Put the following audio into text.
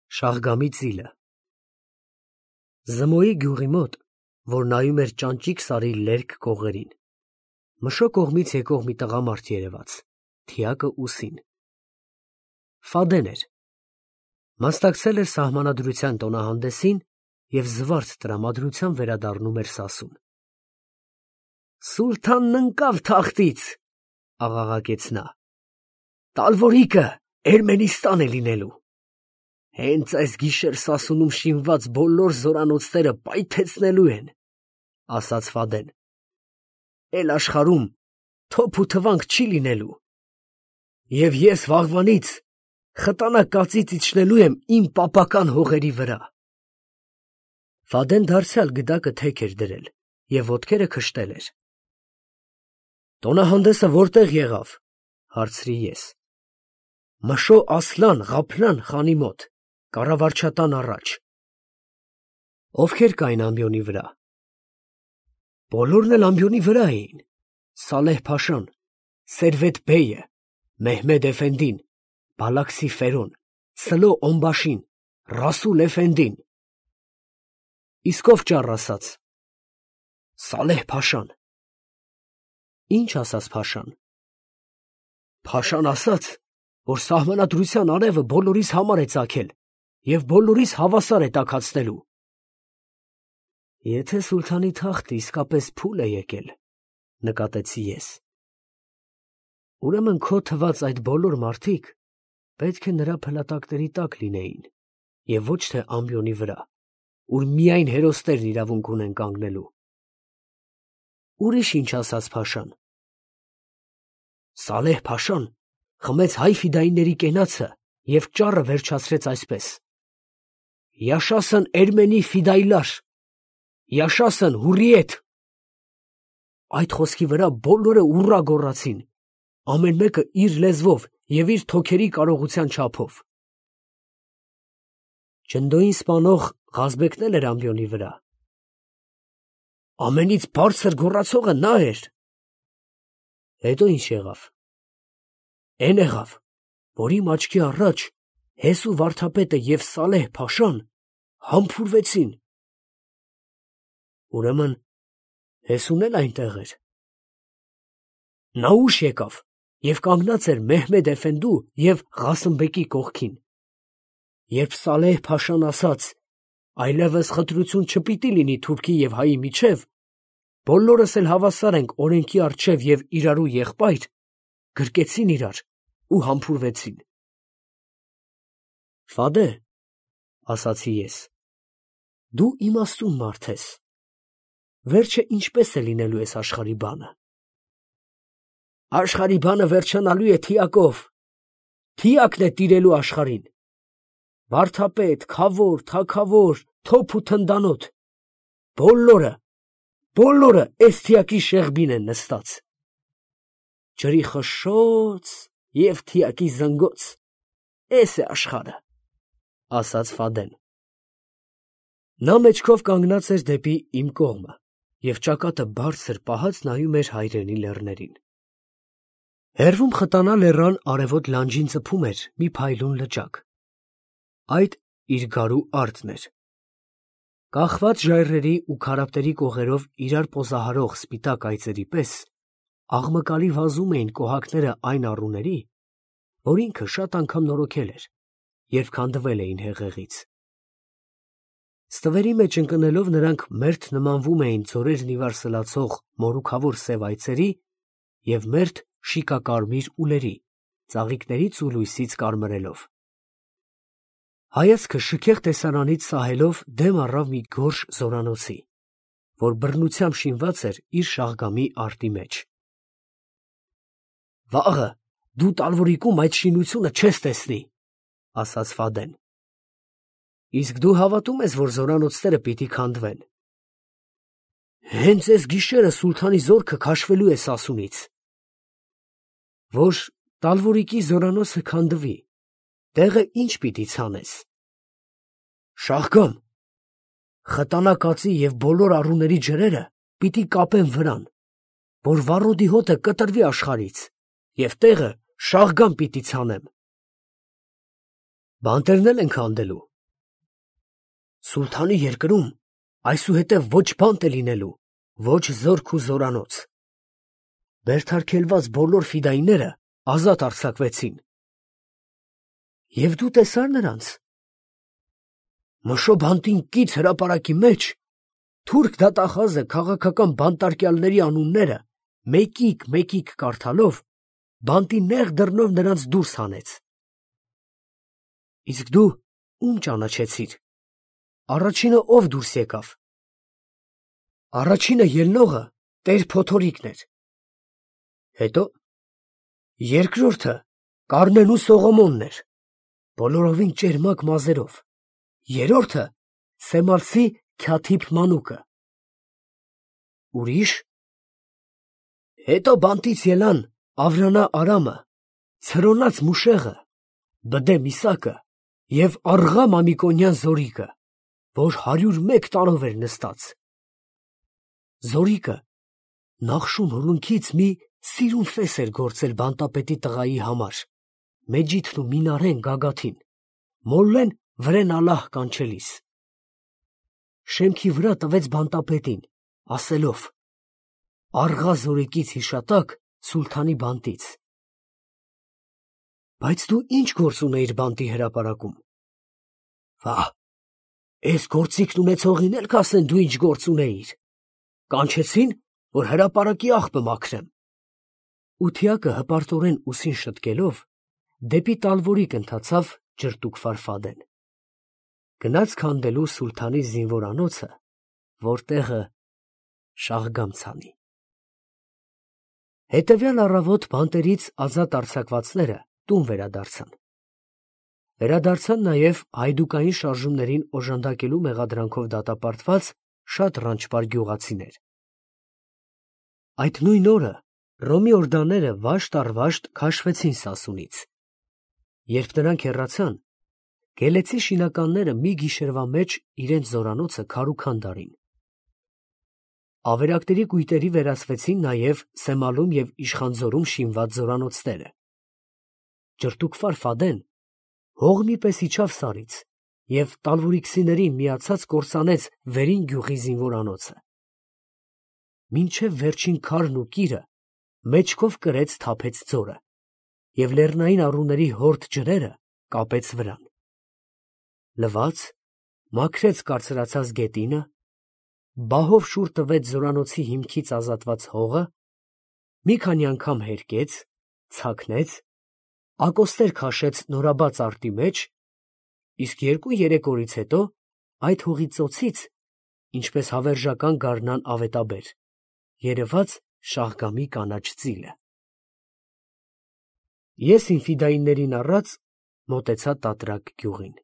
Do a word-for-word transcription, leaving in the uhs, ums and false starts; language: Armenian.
Շահգամի ծիլը Զմոյի գյուղի մոտ, որ նայում էր ճանճիկ սարի լերկ կողերին, Մշո կողմից եկող մի տղամարդ երևաց, թիակը ուսին. Ֆադեն էր, մասնակցել էր սահմանադրության տոնահանդեսին և զվարթ տրամադրությամբ վերադառնում էր Սասուն։ Սուլթանն ընկավ թախտից, աղաղակեց նա, տալվորիկը Էրմենիստան է լինելու։ Հենց այս գիշեր Սասունում շինված բոլոր զորանոցները պայթեցնելու են, ասաց Ֆադեն։ Էլ աշխարհում թոփ ու թվանք չի լինելու։ Եվ ես վաղվանից խտանա կածից իջնելու եմ իմ պապական հողերի վրա։ Ֆադեն դարձյալ գդակը թեք էր դրել և ոտքերը քշտել էր։ Տոնահանդեսը որտեղ եղավ, հարցրի ես։ Մշո Ասլան Ղափրան խանի մոտ, կառավարչատան առաջ։ Ովքեր կային ամբիոնի վրա։ Բոլորն էլ ամբիոնի վրա էին. Սալեհ Փաշան, Սերվետ բեյը, Մեհմեդ էֆենդին, Բալաքսի Ֆերոն, Սլո Օմբաշին, Ռասուլ էֆենդին։ Իսկ ով ճառ ասաց։ Սալեհ Փաշան։ Ինչ ասաց Փաշան։ Փաշան ասաց, որ սահմանադրության արևը բոլորիս համար է ծագել և բոլորիս հավասար է տաքացնելու։ Եթե սուլթանի թախտը իսկապես փուլ է եկել, նկատեցի ես, ուրեմն քո թված այդ բոլոր մարդիկ պետք է նրա փլատակների տակ լինեին և ոչ թե ամբիոնի վրա, ուր միայն հերոսներն իրավունք ունեն կանգնելու։ Ուրիշ ինչ ասաց Փաշան։ Սալեհ Փաշան խմեց հայ ֆիդայինների կենացը և ճառը վերջացրեց այսպես. Յաշասն Էրմենի ֆիդայլար, Յաշասն հուրիետ։ Այդ խոսքի վրա բոլորը ուռա գոռացին, ամեն մեկը իր լեզվով և իր թոքերի կարողության չափով։ Ջնդոյին սպանող Ղազբեկն էլ էր ամբիոնի վրա։ Ամենից բարձր գոռացողը նա էր։ Հետո ինչ եղավ։ Էն եղավ, որ իմ աչքի առաջ Հեսու վարդապետը և Սալեհ Փաշան համբուրվեցին։ Ուրեմն Հեսուն էլ այնտեղ էր։ Նա ուշ եկավ և կանգնած էր Մեհմեդ էֆենդու և Ղասիմբեկի կողքին։ Երբ Սալեհ Փաշան ասաց. այլևս խտրություն չպիտի լինի թուրքի և հայի միջև, բոլորս էլ հավասար ենք օրենքի առջև և իրարու եղբայր, գրկեցին իրար ու համբուրվեցին։ Ֆադե, ասացի ես, դու իմաստուն մարդ ես, վերջը ինչպես է լինելու այս աշխարհի բանը։ Աշխարհի բանը վերջանալու է թիակով, թիակն է տիրելու աշխարհին։ Վարդապետ, քավոր, թագավոր, թոփ ու թնդանոթ, բոլորը, բոլորը էս թիակի շեղբին են նստած։ Ջրի խշշոց և թիակի զնգոց, էս է աշխարհը, ասաց Ֆադեն։ Նա մեջքով կանգնած էր դեպի իմ կողմը և ճակատը բարձր պահած նայում էր հայրենի լեռներին։ Հեռվում խտանա լեռան արևոտ լանջին ծփում էր մի փայլուն լճակ։ Այդ իր գարու արտն էր։ Կախված ժայռերի ու քարապտերի կողերով իրար պոզահարող սպիտակ այծերի պես աղմկալի վազում էին կոհակները այն առուների, որ ինքը շատ անգամ նորոգել էր, երբ քանդվել էին հեղեղից։ Ստվերի մեջ ընկնելով նրանք մերթ նմանվում էին ձորերն ի վար սլացող մորուքավոր սև այծերի և մերթ շիկակարմիր ուլերի, ծաղիկներից ու լույսից կարմրելով։ Հայացքը շքեղ տեսարանից սահելով դեմ առավ մի գորշ զորանոցի, որ բռնությամբ շինված էր իր շաղգամի արտի մեջ։ Վաղը դու Տալվորիկում այդ շինությունը չես տեսնի, ասաց Ֆադեն։ Իսկ դու հավատում ես, որ զորանոցները պիտի քանդվեն։ Հենց այս գիշերը սուլթանի զորքը քաշվելու է Սասունից։ Որ Տալվորիկի զորանոցը քանդվի, տեղը ինչ պիտի ցանես։ Շահգամ, խտանա կածի և բոլոր առուների ջրերը պիտի կապեն վրան, որ վառոդի հոտը կտրվի աշխարհից, և տեղը Շահգամ պիտի ցանեմ։ Բանտերն էլ են քանդելու, Սուլթանի երկրում այսուհետև ոչ բանտ է լինելու, ոչ զորք ու զորանոց։ Բերդարկելված բոլոր ֆիդայիները ազատ արձակվեցին։ Եվ դու տեսա՞ր նրանց։ Մշո բանտին կից հրապարակի մեջ թուրք դատախազը քաղաքական բանտարկյալների անունները մեկիկ-մեկիկ կարդալով բանտի նեղ դռնով նրանց դուրս հանեց։ Իսկ դու ում ճանաչեցիր։ Առաջինը ով դուրս եկավ։ Առաջինը ելնողը Տեր Փոթորիկն էր։ Հետո երկրորդը Կարմեն ու Սողոմոնն էր, բոլորովին ճերմակ մազերով։ Երրորդը Սեմալսի Քյաթիփ մանուկը։ Ուրիշ։ Հետո բանտից ելան Ավրանա Արամը, Ցրոնած Մուշեղը, Բդե Միսակը և Աղղա Մամիկոնյան Զորիկը, որ հարյուր մեկ տարով էր նստած։ Զորիկը Նախշում հուլունքից մի սիրուն ֆես էր գործել բանտապետի տղայի համար, Մեջիդն ու Մինարեն գագաթին, Մոլլեն վրեն ալահ կանչելիս։ Շեմքի վրա տվեց բանտապետին, ասելով. Աղղա Զորիկից հիշատակ Սուլթանի բանտից։ Բայց դու ի՞նչ գործ ունեիր բանտի հրապարակում։ Վա, էս գործիքն ունեցողին էլ կասեն դու ինչ գործ ունեիր։ Կանչեցին, որ հրապարակի աղբը մաքրեմ։ Ությակը հպարտորեն ուսին շտկելով դեպի Տալվորիկ ընթացավ Ջրտուկ Ֆարֆադեն։ Գնաց քանդելու Սուլթանի զինվորանոցը, որ տեղը Շահգամ ցանի։ Հետևյալ առավոտ բանտերից ազատ արձակվածները տուն վերադարձան։ Վերադարձան նաև հայդուկային շարժումներին օժանդակելու մեղադրանքով դատապարտված շատ ռանչպար գյուղացիներ։ Այդ նույն օրը Ռոմի օրդաները վաշտ առ վաշտ քաշվեցին Սասունից։ Երբ նրանք հեռացան, գելեցի շինականները մի գիշերվա մեջ իրենց զորանոցը քարուքանդ արին։ Ավերակների կույտերի վերածվեցին նաև Սեմալում և Իշխանձորում շինված զորանոցները։ Ջրտուկ Ֆարֆադեն հող մի պես իջավ սարից և տալվուրիքցիներին միացած կործանեց վերին գյուղի զինվորանոցը։ Մինչև վերջին քարն ու կիրը մեջքով կրեց թափեց ձորը և լեռնային առուների հորդ ջրերը կապեց վրան։ Լվաց, մաքրեց կարծրացած գետինը, բահով շուռ տվեց զորանոցի հիմքից ազատված հողը, մի քանի անգամ հերկեց, ցակնեց, ակոստեր քաշեց նորաբաց արտի մեջ, իսկ երկու֊երեք օրից հետո այդ հողի ծոցից, ինչպես հավերժական գարնան ավետաբեր, երևաց Շահգամի կանաչ ծիլը։ Ես իմ ֆիդայիններին առած մոտեցա Տատրակ գյուղին։